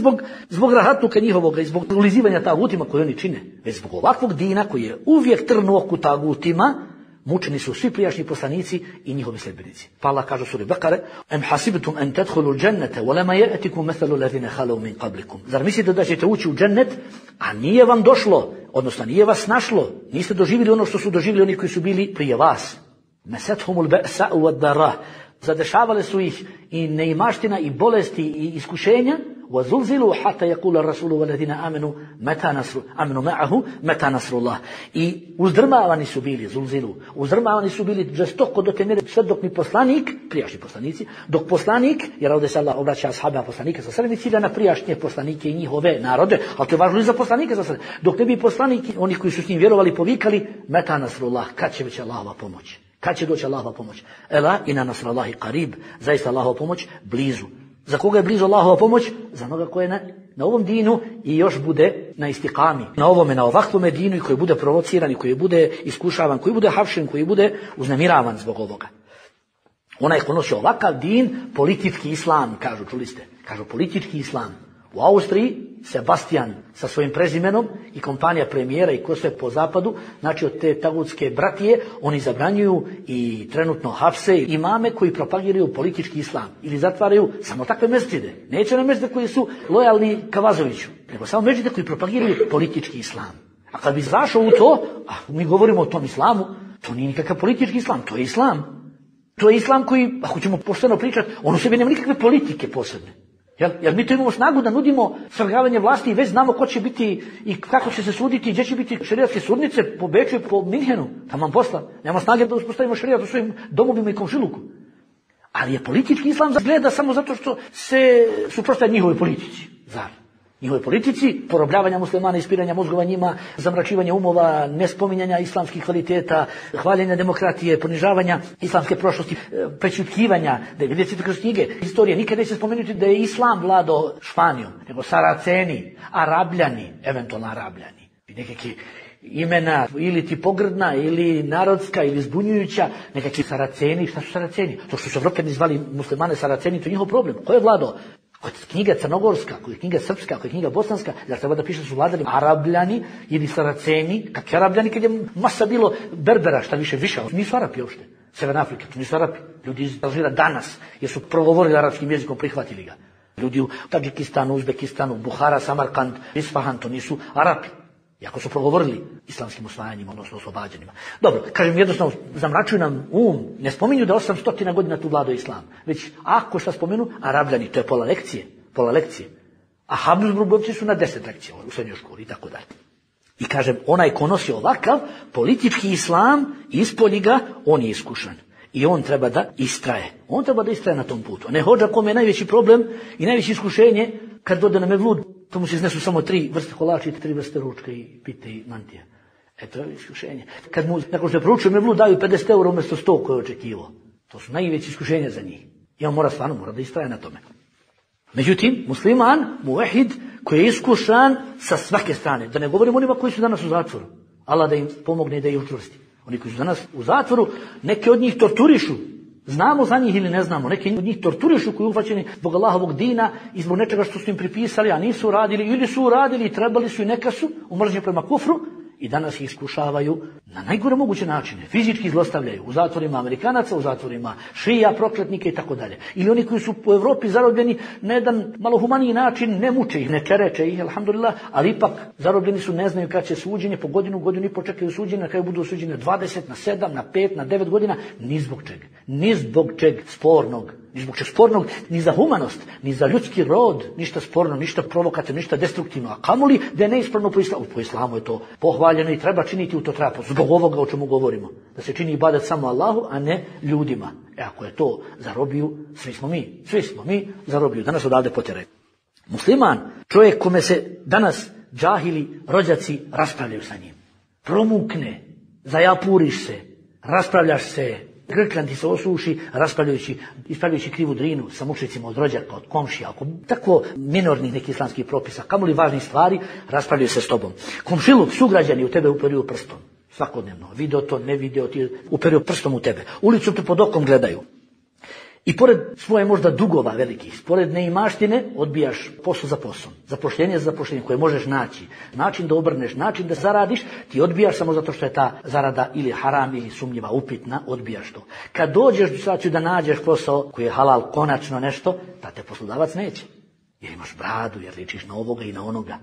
zbog rahatluka njihovoga i zbog ulizivanja tagutima koje oni čine, već zbog ovakvog dina koji je uvijek trn u oku tagutima, mučeni su svi prijašnji poslanici i njihovi sljedbenici. Pa Allah kaže u suri Bekare: "Em hasibtum an tadkhulu al-jannata wa lam ya'tikum mathalu alladhina khalu min qablikum." Zar mislite da ćete ući u džennet, a nije vam došlo, odnosno nije vas našlo, niste doživjeli ono što su doživjeli oni koji su bili prije vas. Masathumul ba'sa wad-dara. Zadešavale su ih i neimaština i bolesti i iskušenja. وَزُلْزِلُوا حَتَّى يَقُولَ الرَّسُولُ وَالَّذِينَ آمَنُوا مَعَهُ مَتَى نَصْرُ اللَّهِ. I uzdrmavani su bili, zulzilu, uzdrmavani su bili žestoko do te mjere sve dok mi poslanik, prijašnji poslanici, dok poslanik, jer ovdje se Allah obraća ashaba poslanika sa sebe, cilja na prijašnje poslanike i njihove narode, ali to je važno i za poslanike sa sebe. Dok ne bi poslanik, oni koji su s njim vjerovali, povikali meta nasrullah, kad će već Allahova pomoć? Kad će doći Allahova pomoć? Ela ina nasrallahi qarib, zaista Allahova pomoć blizu. Za koga je blizu Allahova pomoć? Za onoga koji je na ovom dinu i još bude na istikami. Na ovome, na ovakvome dinu i koji bude provociran i koji bude iskušavan, koji bude hapšen, koji bude uznemiravan zbog ovoga. Onaj ko nosi ovakav din, politički islam, kažu, čuli ste? Kažu politički islam. U Austriji Sebastian sa svojim prezimenom i kompanija premijera i ko sve po zapadu, znači od te tagutske bratije, oni zabranjuju i trenutno hapse imame koji propagiraju politički islam ili zatvaraju samo takve mesdžide. Neće na mesdžide koji su lojalni Kavazoviću, nego samo mesdžide koji propagiraju politički islam. A kad bi zašao u to, a mi govorimo o tom islamu, to nije nikakav politički islam, to je islam. To je islam koji, ako ćemo pošteno pričati, on u sebi nema nikakve politike posebne. Jer mi to imamo snagu da nudimo svrgavanje vlasti i već znamo ko će biti i kako će se suditi, gdje će biti šerijatske sudnice po Beču i po Minhenu. Tamo posla. Nemamo snage da uspostavimo šerijat u svojim domovima i komšiluku. Ali je politički islam gleda samo zato što se suprotstavlja njihovoj politici. Zar? Njihove politici, porobljavanja muslimana, ispiranja mozgova njima, zamračivanja umova, nespominjanja islamskih kvaliteta, hvaljenja demokratije, ponižavanja islamske prošlosti, prečutkivanja, da vidite kroz knjige historije, nikada neće spomenuti da je islam vladao Španijom, nego Saraceni, Arabljani, eventualno Arabljani. Nekakve imena ili ti pogrdna, ili narodska, ili zbunjujuća, nekakvi Saraceni. Šta su Saraceni? To što su Evropljani zvali muslimane Saraceni, to je njihov problem. Ko je vladao? Ako je knjiga crnogorska, ako je knjiga srpska, ako je knjiga bosanska, zar treba da piše da su vladali Arabljani ili Saraceni? Kakvi Arabljani kad je masa bilo Berbera, šta više, nisu Arapi uopšte. Severna Afrika, to nisu Arapi. Ljudi iz Alžira danas, jer su progovorili arapskim jezikom, prihvatili ga. Ljudi u Tadžikistanu, Uzbekistanu, Buhara, Samarkand, Isfahan, to nisu Arapi. Iako su progovorili islamskim osvajanjima, odnosno oslobađanjima. Dobro, kažem jednostavno, zamračuju nam ne spominju da 800 godina tu vladao islam. Već ako šta spomenu, Arabljani, to je pola lekcije. A Habsburgovci su na 10 lekcija u srednjoj školi i tako dalje. I kažem, onaj ko nosi ovakav politički islam, ispolji ga, on je iskušan. I on treba da istraje. On treba da istraje na tom putu. Ne hođa kome je najveći problem i najveće iskušenje kad dode na mevlud, to mu se iznesu samo 3 vrste kolača i 3 vrste ručka i pite i mantija. To je iskušenje. Kad mu, nakon što je proučio mevlud, daju 50 € umjesto 100 koje je očekivao. To su najveće iskušenja za njih. I on mora da istraje na tome. Međutim, musliman, muvahid, koji je iskušan sa svake strane. Da ne govorimo onima koji su danas u zatvoru. Allah da im pomogne i da ih učvrsti. Oni koji su danas u zatvoru, neke od njih torturišu. Znamo za njih ili ne znamo. Neki od njih torturišu koji uhvaćeni zbog Allahovog dina i zbog nečega što su im pripisali, a nisu uradili, ili su uradili i trebali su i neka su u mržnji prema kufru i danas ih iskušavaju na najgore moguće načine. Fizički zlostavljaju u zatvorima Amerikanaca, u zatvorima šija, prokletnike i tako dalje. Ili oni koji su u Evropi zarobljeni na jedan malo humaniji način, ne muče ih, ne čereče ih, alhamdulillah, ali ipak zarobljeni su, ne znaju kad će suđenje, po godinu i počekaju suđenje, na kraju budu osuđeni na 20, na 7, na 5, na 9 godina, ni zbog čeg spornog. Ni zbog čeg spornog, ni za humanost, ni za ljudski rod, ništa sporno, ništa provokativno, ništa destruktivno. A kamoli da je neispravno po islamu. Po islamu je to pohvaljeno i treba činiti u to treba. Zbog ovoga o čemu govorimo. Da se čini ibadet samo Allahu, a ne ljudima. Ako je to za robiju, svi smo mi za robiju. Danas odavde potjeraju. Musliman, čovjek kome se danas džahili, rođaci raspravljaju sa njim. Promukne, zajapuriš se, raspravljaš se, grklan ti se osuši, ispravljajući krivu drinu sa mušicima od rođaka, od komšija, oko tako minornih nekih islamskih propisa, kamoli važnih stvari, raspravljaju se s tobom. Komšiluk, sugrađani u tebe uperuju prstom. Svakodnevno. Video to, ne video, ti uperuju prstom u tebe. Ulicu te pod okom gledaju. I pored svoje možda dugova velikih, pored neimaštine, odbijaš posao za poslom. Zapošljenje za zapošljenje koje možeš naći. Način da obrneš, način da zaradiš, ti odbijaš samo zato što je ta zarada ili haram ili sumnjiva, upitna, odbijaš to. Kad dođeš u situaciju da nađeš posao koji je halal, konačno nešto, da te poslodavac neće. Jer imaš bradu, jer ličiš na ovoga i na onoga.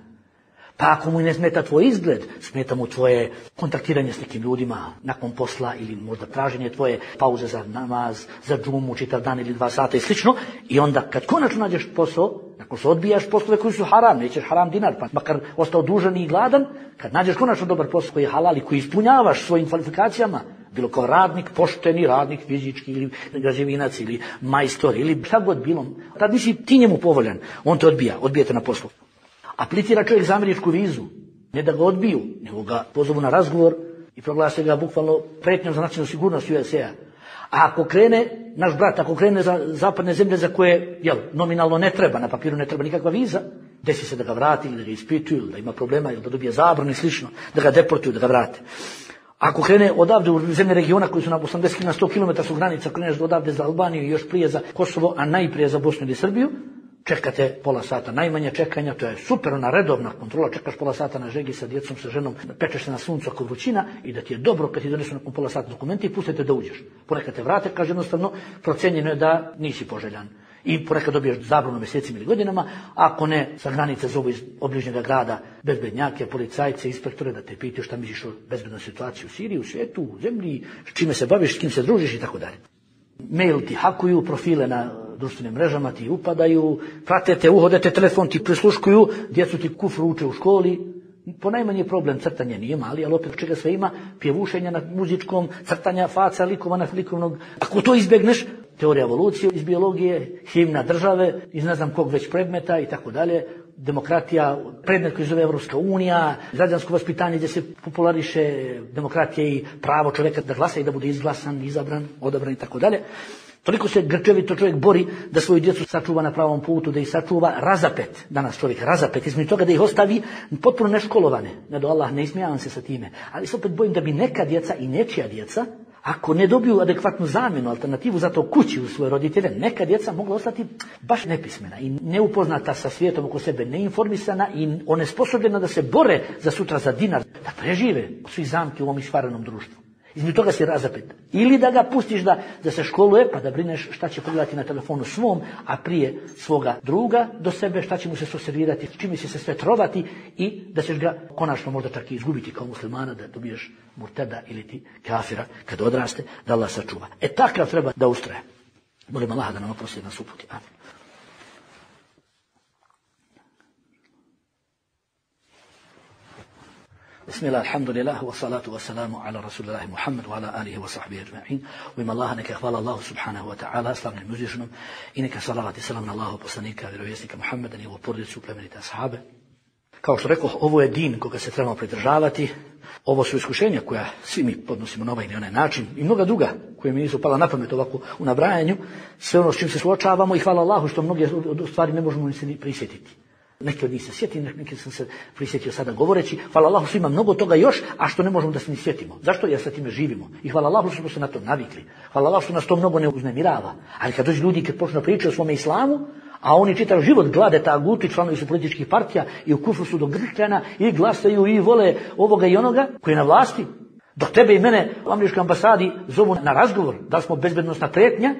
Pa ako mu ne smeta tvoj izgled, smeta mu tvoje kontaktiranje s nekim ljudima nakon posla ili možda traženje tvoje pauze za namaz, za džumu, čitav dan ili 2 sata i slično. I onda kad konačno nađeš posao, nakon što odbijaš poslove koji su haram, nećeš haram dinar, pa makar ostao dužan i gladan, kad nađeš konačno dobar posao koji je halal i koji ispunjavaš svojim kvalifikacijama, bilo kao radnik, pošteni radnik, fizički ili građevinac ili majstor ili šta god bilo, tad nisi ti njemu povoljan, on te odbijete na poslu. Aplicira čovjek za američku vizu, ne da ga odbiju, nego ga pozovu na razgovor i proglase ga bukvalno pretnjom za nacionalnu sigurnost USA. A ako krene, naš brat, ako krene za zapadne zemlje za koje, nominalno ne treba, na papiru ne treba nikakva viza, desi se da ga vrati ili da ga ispituju, da ima problema ili da dobije zabranu i slično, da ga deportuju, da ga vrate. Ako krene odavde u zemlje regiona koji su na 80 na 100 km su granica, kreneš odavde za Albaniju i još prije za Kosovo, a najprije za Bosnu ili Srbiju, čekate pola sata najmanje čekanja, to je super, ona redovna kontrola, čekaš pola sata na žegi sa djecom, sa ženom, pečeš se na suncu ako vrućina i da ti je dobro kad ti donesu nakon pola sata dokumenti i pustite da uđeš. Ponekad te vrate, kaže jednostavno, procenjeno je da nisi poželjan. I ponekad dobiješ zabranu mjesecima ili godinama, ako ne, sa granice zovu iz obližnjega grada bezbednjake, policajce, inspektore da te pitaju šta misliš o bezbednoj situaciji u Siriji, u svijetu, u zemlji, s čime se baviš, s kim se družiš i tako dalje. Mail ti hakuju, profile na društvenim mrežama ti upadaju, prate te, uhodete, telefon ti prisluškuju, djecu ti kufru uče u školi. Ponajmanje problem crtanje nije mali, ali opet čega sve ima, pjevušenja na muzičkom, crtanja faca, likova na likovnog. Ako to izbjegneš, teorija evolucije iz biologije, himna države, iz ne znam kog već predmeta i tako dalje, demokratija, predmet koji zove Evropska unija, građansko vaspitanje gdje se populariše demokratija i pravo čovjeka da glasa i da bude izglasan, izabran, odabran i tako dalje. Toliko se grčevito čovjek bori da svoju djecu sačuva na pravom putu, da ih sačuva razapet. Danas čovjek razapet, između toga da ih ostavi potpuno neškolovane. Ne do Allah, ne ismijavam se sa time. Ali se opet bojim da bi neka djeca i nečija djeca, ako ne dobiju adekvatnu zamjenu, alternativu za to kući u svoje roditelje, neka djeca mogla ostati baš nepismena i neupoznata sa svijetom oko sebe, neinformisana i onesposobljena da se bore za sutra za dinar, da prežive svi zamki u ovom išvarenom društvu. Između toga si razapet. Ili da ga pustiš da se školuje, pa da brineš šta će pogledati na telefonu svom, a prije svoga druga do sebe, šta će mu se servirati, čime će se sve trovati i da ćeš ga konačno možda čak i izgubiti kao muslimana, da dobiješ murteda ili ti kafira kad odraste, da Allah sačuva. Takav treba da ustraje. Molim Allah da nam oprosti nas uputi. Amin. Bismillah, alhamdulillah, wa salatu wa salamu ala rasulillahi Muhammad wa ala alihi wa sahbihi ajma'in. U ime Allaha neka hvala Allahu subhanahu wa ta'ala, slavnim uzvišenom, i neka salavat i salam na Allahu poslanika, vjerovjesnika Muhammeda, njegovu porodicu, plemenite ashabe. Kao što rekao, ovo je din koga se trebamo pridržavati. Ovo su iskušenja koja svi mi podnosimo na ovaj ili onaj način i mnoga druga koje mi nisu pala na pamet ovako u nabrajanju. Sve ono s čim se suočavamo i hvala Allahu što mnoge stvari ne možemo ni prisjetiti. Neki od njih se sjetim, neki sam se prisjetio sada govoreći. Hvala Allahu što ima mnogo toga još, a što ne možemo da se ni sjetimo. Zašto? Jer sa time živimo. I hvala Allahu što smo se na to navikli. Hvala Allahu što nas to mnogo ne uznemirava. Ali kad dođu ljudi kad počnu pričati o svome islamu, a oni čitav život glade taguti, članovi su političkih partija i u kufru su do grkljana i glasaju i vole ovoga i onoga koji je na vlasti. Dok tebe i mene u američkoj ambasadi zovu na razgovor, da smo bezbednosna prijetnja,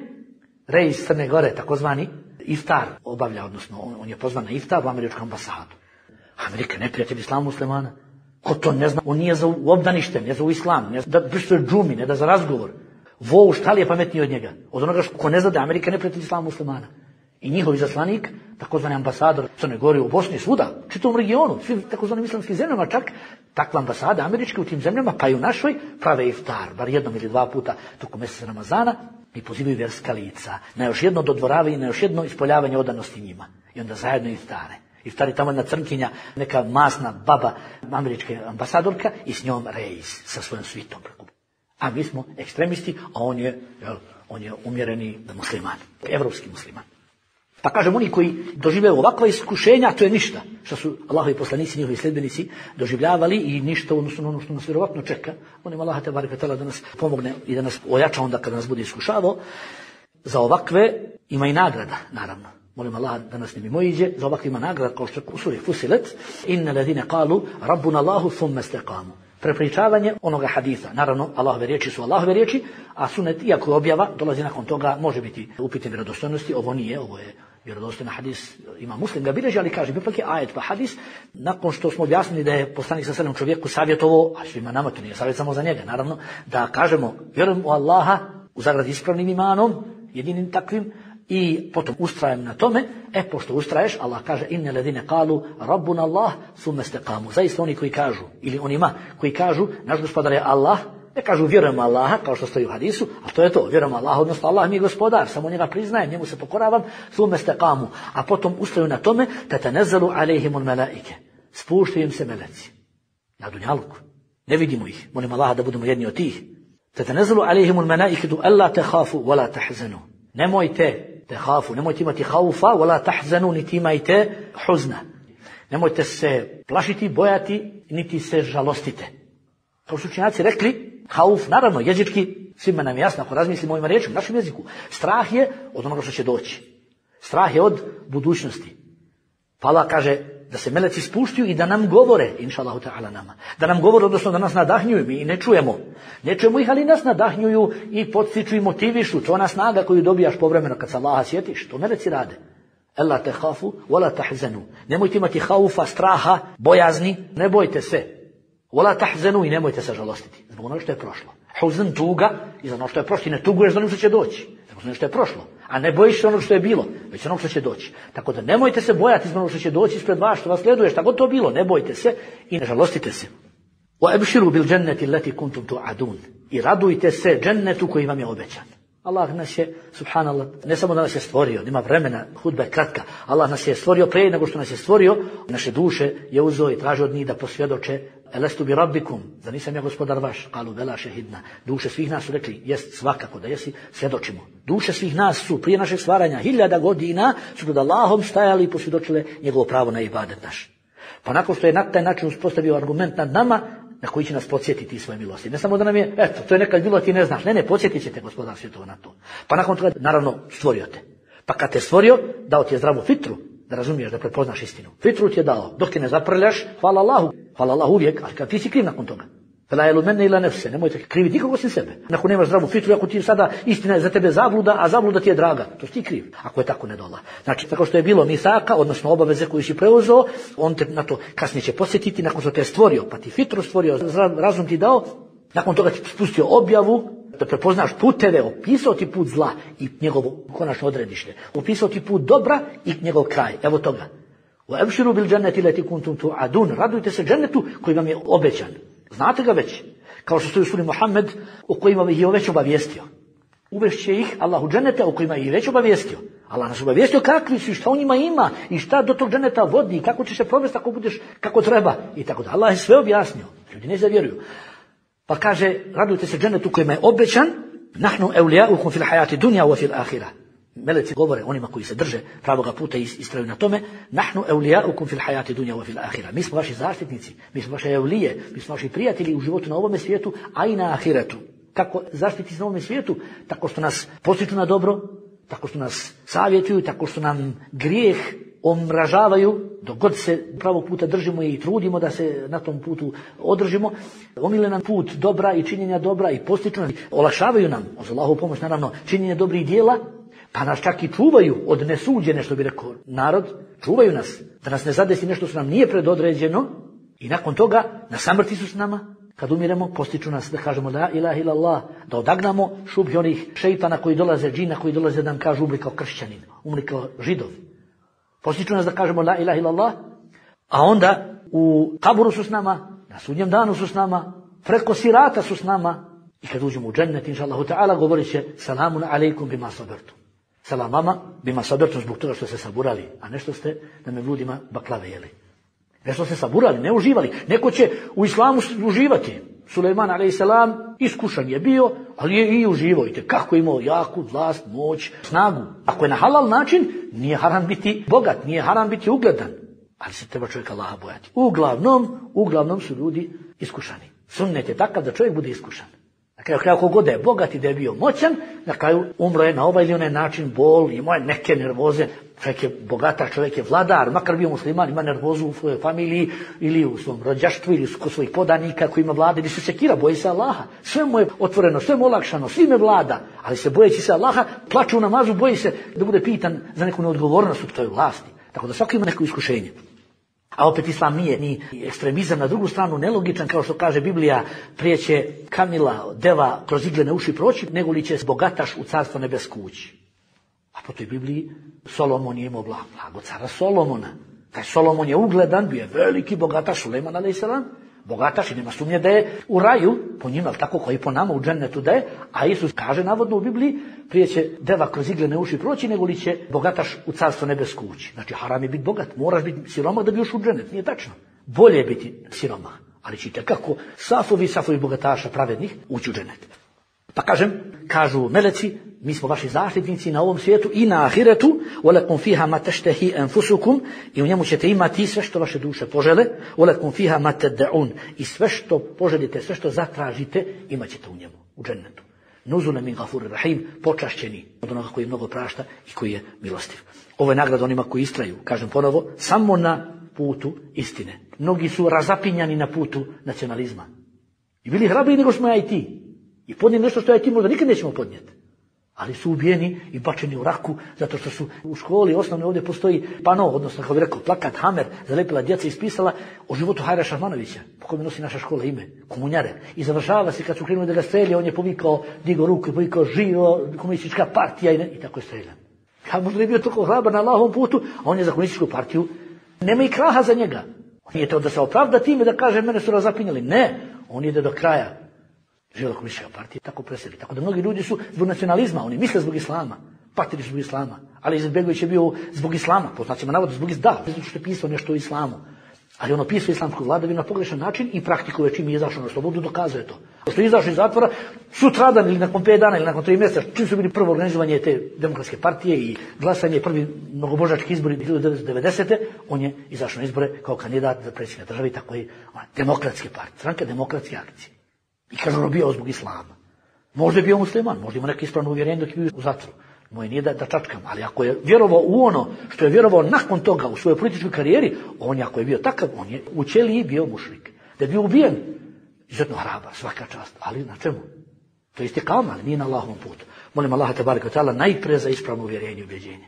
Reis Crne Gore, takozvani, iftar obavlja, odnosno on je pozvan na iftar u američku ambasadu. Amerika je neprijatelj islamu muslimana. Ko to ne zna, on nije za obdanište, ne za u islam, ne da prištuje džumi, ne da za razgovor. Vo, šta li je pametniji od njega? Od onoga ko ne zna da Amerika je neprijatelj islamu muslimana. I njihov izaslanik, takozvani ambasador Crne Gore u Bosni, svuda, čitavom regionu, svim takozvanim islamskim zemljama, čak takva ambasada američke u tim zemljama, pa i u našoj, prave iftar, bar jednom ili dva puta tokom mjeseca Ramazana, i pozivaju vjerska lica na još jedno dodvoravanje, na još jedno ispoljavanje odanosti njima. I onda zajedno iftare. Iftari tamo jedna crnkinja, neka masna baba američke ambasadorka i s njom Reis sa svojom svitom. A mi smo ekstremisti, a on je umjereni musliman, evropski musliman. Pa kažem, oni koji doživljaju ovakva iskušenja, to je ništa. Što su Allahovi poslanici, njihovi sljedbenici doživljavali i ništa odnosno ono što nas vjerovatno čeka. Molim Allaha te bareke da nas pomogne i da nas ojača onda kada nas bude iskušavao. Za ovakve ima i nagrada, naravno. Molim Allaha da nas ne mimoiđe. Za ovakve ima nagrada, kao što u suri Fusilet, inna ladine qalu rabbuna Allahu thumma istaqamu. Prepričavanje onoga hadisa. Naravno, Allahove riječi su Allahove riječi, a sunet, iako je objava, dolazi nakon toga, može biti upitne vjerodostojnosti. Ovo nije, ovo je vjerodostojna hadis, ima Muslim ga bilježi, ali kaže, ipak je ajet pa hadis, nakon što smo objasnili da je poslanik sa selem čovjeku savjetovo, a svima nama to nije savjet samo za njega, naravno, da kažemo, vjerujem u Allaha, u zagradi ispravnim imanom, jedinim takvim, i potom ustrajem na tome, pošto ustraješ, Allah kaže, inne ledine kalu, rabbuna Allah, thumma istaqamu. Zaista oni koji kažu, ili onima koji kažu, naš gospodar je Allah, ne kažu vjerujemo Allaha, kao što stoji u hadisu, a to je to, vjerujemo Allaha, odnosno Allah mi je gospodar, samo njega priznajem, njemu se pokoravam, thumma istaqamu. A potom ustraju na tome, tatanazzalu alejhimul malaike. Spuštaju im se meleci. Na dunjaluku. Ne vidimo ih. Molim Allaha da budemo jedni od tih. Tatanazzalu alejhimul malaiketu alla takhafu wala tahzanu. Nemojte tehafu, nemojte imati haufa, wala tahzanu, niti imajte huzna. Nemojte se plašiti, bojati, niti se žalostite. Kao su učenjaci rekli, hauf, naravno, jezički, svima nam je jasno, ako razmislimo ovim riječima, našem jeziku, strah je od onoga što će doći. Strah je od budućnosti. Pa Allah kaže da se meleci spuštaju i da nam govore, inša Allahu ta'ala nama. Da nam govore, odnosno da nas nadahnjuju, mi ne čujemo. Ne čujemo ih, ali nas nadahnjuju i podstiču i motivišu. To je ona snaga koju dobijaš povremeno kad se Allaha sjetiš. To meleci rade. Ela te hafu, wala tahzanu. Nemojte imati haufa, straha, bojazni, ne bojte se. Wala tahzanu i nemojte se žalostiti. Zbog ono što je prošlo. Huzn, tuga, i za ono što je prošlo. I ne tuguješ za ono što će doći. Zbog ono što je prošlo. A ne bojiš se ono što je bilo, već ono što će doći. Tako da nemojte se bojati zbog ono što će doći ispred vas, što vas sleduje, šta god to bilo. Ne bojte se i ne žalostite se. وَأَبْشِرُوا بِالْجَنَّةِ الَّتِي كُنْتُمْ تُعَدُونَ. I radujte se džennetu koji vam je obećan. Allah nas je, subhanallah, ne samo da nas je stvorio, nema vremena, hudba je kratka. Allah nas je stvorio prije nego što nas je stvorio, naše duše je uzeo i traži od njih da posvjedoče Elestu bi rabbikum, da nisam ja gospodar vaš, kalu bela šehidna. Duše svih nas su rekli, jest svakako da jesi, svjedočimo. Duše svih nas su prije našeg stvaranja 1000 godina su pred Allahom stajali i posvjedočile njegovo pravo na ibadet naš. Pa nakon što je na taj način uspostavio argument nad nama, na koji će nas podsjetiti svoje milosti. Ne samo da nam je, eto, to je nekad bilo, ti ne znaš. Ne, podsjetit ćete gospodar svjetova na to. Pa nakon toga, naravno, stvorio te. Pa kad te stvorio, dao ti je zdravu fitru, da razumiješ, da prepoznaš istinu. Fitru ti je dao. Dok ti ne zaprljaš, hvala Allahu uvijek, ali kad ti si kriv nakon toga. Fela jelu mene ila nefse, nemojte kriviti nikoga osim sebe. Ako nemaš zdravu fitru, ako ti sada istina je za tebe zabluda, a zabluda ti je draga, to si ti kriv. Ako je tako ne dola. Znači, tako što je bilo misaka, odnosno obaveze koju si preuzeo, on te na to kasnije će posjetiti, nakon što te je stvorio, pa ti fitru stvorio, razum ti dao, nakon toga ti spustio objavu, da prepoznaš puteve, opisao ti put zla i njegovo konačno odredište. Opisao ti put dobra i njegov kraj. Evo toga. وَأَبْشِرُوا بِالْجَنَّةِ الَّتِي كُنْتُمْ تُوعَدُونَ. Radujte se džennetu koji vam je obećan. Znate ga već. Kao što stoji u suri Muhammed, o kojima ih je već obavijestio. Uvešće ih Allah u džennete o kojima ih je već obavijestio. Allah nas obavijestio kakvi su i šta u njima ima i šta do tog dženneta vodi i kako ćeš se provesti ako budeš kako treba i tako da. Allah je sve objasnio. Ljudi ne zavjeruju. Pa kaže, radujte se džennetu kojima je obećan, nahnu awliyaukum fil hayati dunya wa fil akhirah. Meleci govore onima koji se drže pravoga puta i istraju na tome, nahnu awliyaukum fil hayati dunya wa fil akhirah. Mi smo vaši zaštitnici, mi smo vaše evlije, mi smo vaši prijatelji u životu na ovom svijetu, a i na ahiretu. Kako zaštiti na ovom svijetu? Tako što nas postiču na dobro, tako što nas savjetuju, tako što nam grijeh omražavaju, dok god se pravog puta držimo i trudimo da se na tom putu održimo, omile nam put dobra i činjenja dobra i postiču nam, olakšavaju nam, uz Allahovu pomoć naravno, činjenje dobrih dijela, pa nas čak i čuvaju od nesuđene, što bi rekao narod, čuvaju nas, da nas ne zadesi nešto što nam nije predodređeno i nakon toga na samrti su s nama, kad umiremo, postiču nas da kažemo la ilaha illallah, da odagnamo šubhi onih šeitana koji dolaze, džina koji dolaze da nam kažu umri kao kršćanin, umri kao židov. Postiču nas da kažemo la ilaha illallah, a onda u kaburu su s nama, na sudnjem danu su s nama, preko sirata su s nama i kad uđemo u džennet, inša Allahu ta'ala, govorit će salamun alejkum bima sabertum. Salam vama bima sabertum zbog toga što ste saburali, a nešto ste da me bludima baklave jeli. Nešto ste saburali, ne uživali. Neko će u islamu uživati. Sulejman a.s. iskušan je bio, ali je i uživao. I kako je imao jaku vlast, moć, snagu. Ako je na halal način, nije haram biti bogat, nije haram biti ugledan. Ali se treba čovjek Allaha bojati. Uglavnom su ljudi iskušani. Sunnet je takav da čovjek bude iskušan. Na kraju kogod da je bogat i da je bio moćan, na kraju umro je na ovaj ili onaj način, bol, imao je neke nervoze. Čovjek je bogataš, čovjek je vladar, makar bio musliman, ima nervozu u svojoj familiji ili u svom rođaštvu ili kod svojih podanika koji ima vlade, ili se sekira, boji se Allaha. Sve mu je otvoreno, sve mu olakšano, svime vlada, ali se bojeći se Allaha, plače u namazu, boji se da bude pitan za neku neodgovornost u toj vlasti. Tako da svako ima neko iskušenje. A opet islam nije ni ekstremizam, na drugu stranu nelogičan, kao što kaže Biblija, prije će kamila, deva kroz iglene uši proći, nego li će bogataš u carstvo nebesko ući. A po toj Bibliji Solomon je imao blago cara Solomona. Taj Solomon je ugledan, bio je veliki bogataš, Sulejman a.s. Bogataš i nema sumnje da je u raju, po njima, tako koji po nama u džennetu da je, a Isus kaže navodno u Bibliji, prije će deva kroz iglene uši proći, nego li će bogataš u carstvo nebesko ući. Znači haram je biti bogat, moraš biti siromah da bi ušao u džennet, nije tačno. Bolje je biti siromah, ali ćete kako safovi bogataša pravednih ući u džennet. Pa kažu meleci, mi smo vaši zaštitnici na ovom svijetu i na ahiretu, وَلَكُمْ فِيهَا مَا تَشْتَهِي أَنفُسُكُمْ, i u njemu ćete imati sve što vaše duše požele, وَلَكُمْ فِيهَا مَا تَدَّعُونَ, i sve što poželite, sve što zatražite, imat ćete u njemu, u džennetu. Nuzule min gafurir rahim, počašćeni od onoga koji mnogo prašta i koji je milostiv. Ovo je nagrada onima koji istraju, kažem ponovo, samo na putu istine. Mnogi su razapinjani na putu nacionalizma. I bili hrabriji nego smo ja i ti. I podnijeli nešto što ja i ti možda nikad nećemo podnijeti. Ali su ubijeni i bačeni u raku zato što su u školi osnovne ovdje postoji pano, odnosno kako bi rekao plakat Hamer, zalepila djeca i ispisala o životu Hajra Šahmanovića, po kome nosi naša škola ime, komunjare. I završava se kad su krenuli da ga strelja, on je povikao, digao ruku i povikao živo komunistička partija i tako je streljan. Ja možda je bio toliko hrabar na Allahovom putu, a on je za komunističku partiju. Nema i kraha za njega. On nije to da se opravda time da kaže mene su razapinjali. Ne, on ide do kraja. Živjela komunistička partija, tako preseli. Tako da mnogi ljudi su zbog nacionalizma, oni misle zbog islama, patili zbog islama. Ali Izetbegović je bio zbog islama, po znacima navoda zbog islama, zato što je pisao nešto o islamu. Ali ono pisao islamsku vladavinu na pogrešan način i praktikuje čim je izašao na slobodu, dokazuje to. Što je izašao iz zatvora, sutradan ili nakon 5 dana ili nakon 3 mjeseca, čim su bili prvo organizovanje te demokratske partije i glasanje, prvi mnogobožački izbori 1990. On je izašao na izbore kao kandidat za predsjednika države i tako je demokratske partije, stranka demokratske akcije. I kaže ono bio zbog islama. Možda je bio musliman, možda ima neko ispravno uvjerenje dok je bio u zatvoru. Moje nije da čačkam, ali ako je vjerovao u ono što je vjerovao nakon toga u svojoj političkoj karijeri, on je, ako je bio takav, on je u ćeliji bio mušrik. Da je bio ubijen, izuzetno hrabar, svaka čast, ali na čemu? To je istikama, ali nije na Allahovom putu. Molim Allaha tebareke ve taala najprije za ispravno uvjerenje i ubjeđenje.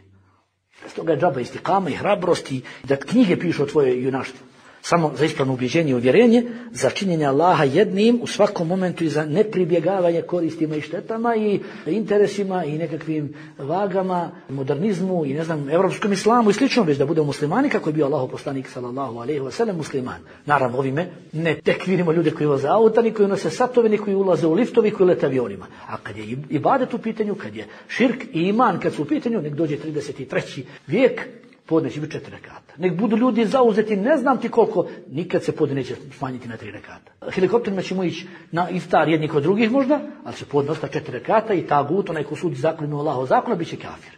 Stoga je džaba istikama i hrabrosti da knjige pišu o tvojoj junaštvu. Samo za ispravno ubjeđenje i uvjerenje, za činjenje Allaha jednim u svakom momentu i za nepribjegavanje koristima i štetama i interesima i nekakvim vagama, modernizmu i ne znam, evropskom islamu i slično, već da budemo muslimani kako je bio Allahov poslanik sallallahu alejhi ve sellem musliman. Naravno ovime ne tek vidimo ljude koji voze auta, ni koji nose satove, ni koji ulaze u liftovi, koji lete avionima. A kad je ibadet u pitanju, kad je širk i iman kad su u pitanju, nek dođe 33. vijek, podne će biti 4 rekata. Nek budu ljudi zauzeti, ne znam ti koliko, nikad se podne neće smanjiti na 3 rekata. Helikopterima ćemo ići na iftar jedni kod drugih možda, ali će podne ostati 4 rekata i tagut, onaj ko sudi zakon mimo Allahov zakona, bit će kafir.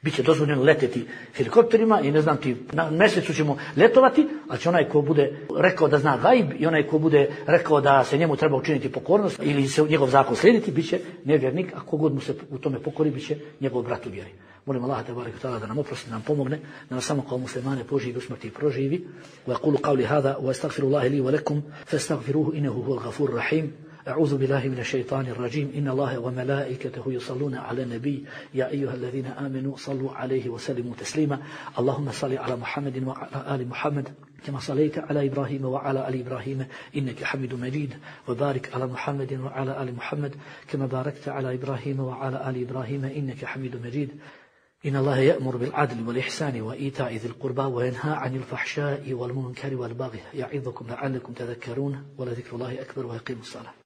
Biće dozvoljeno leteti helikopterima i ne znam ti, na mjesecu ćemo letovati, ali će onaj ko bude rekao da zna gajb i onaj ko bude rekao da se njemu treba učiniti pokornost ili se njegov zakon slijediti, bit će nevjernik, a kogod mu se u tome pokori, bit će njegov brat u vjeri. Molim Allaha tebareke ve taala da nam oprosti, da nam pomogne, da nas samo kao muslimane poživi u smrti i proživi. Wa aqulu qawli hadha wa astaghfirullaha li wa lakum fastaghfiruhu innahu huwal ghafurur rahim. أعوذ بالله من الشيطان الرجيم إن الله وملائكته يصلون على النبي يا أيها الذين آمنوا صلوا عليه وسلموا تسليما اللهم صل على محمد وعلى آل محمد كما صليت على إبراهيم وعلى آل إبراهيم إنك حميد مجيد وبارك على محمد وعلى آل محمد كما باركت على إبراهيم وعلى آل إبراهيم إنك حميد مجيد إن الله يأمر بالعدل والإحسان وإيتاء ذي القربى وينهى عن الفحشاء والمنكر والبغي يعظكم لعلكم تذكرون ولذكر الله أكبر ويقيم الصلاة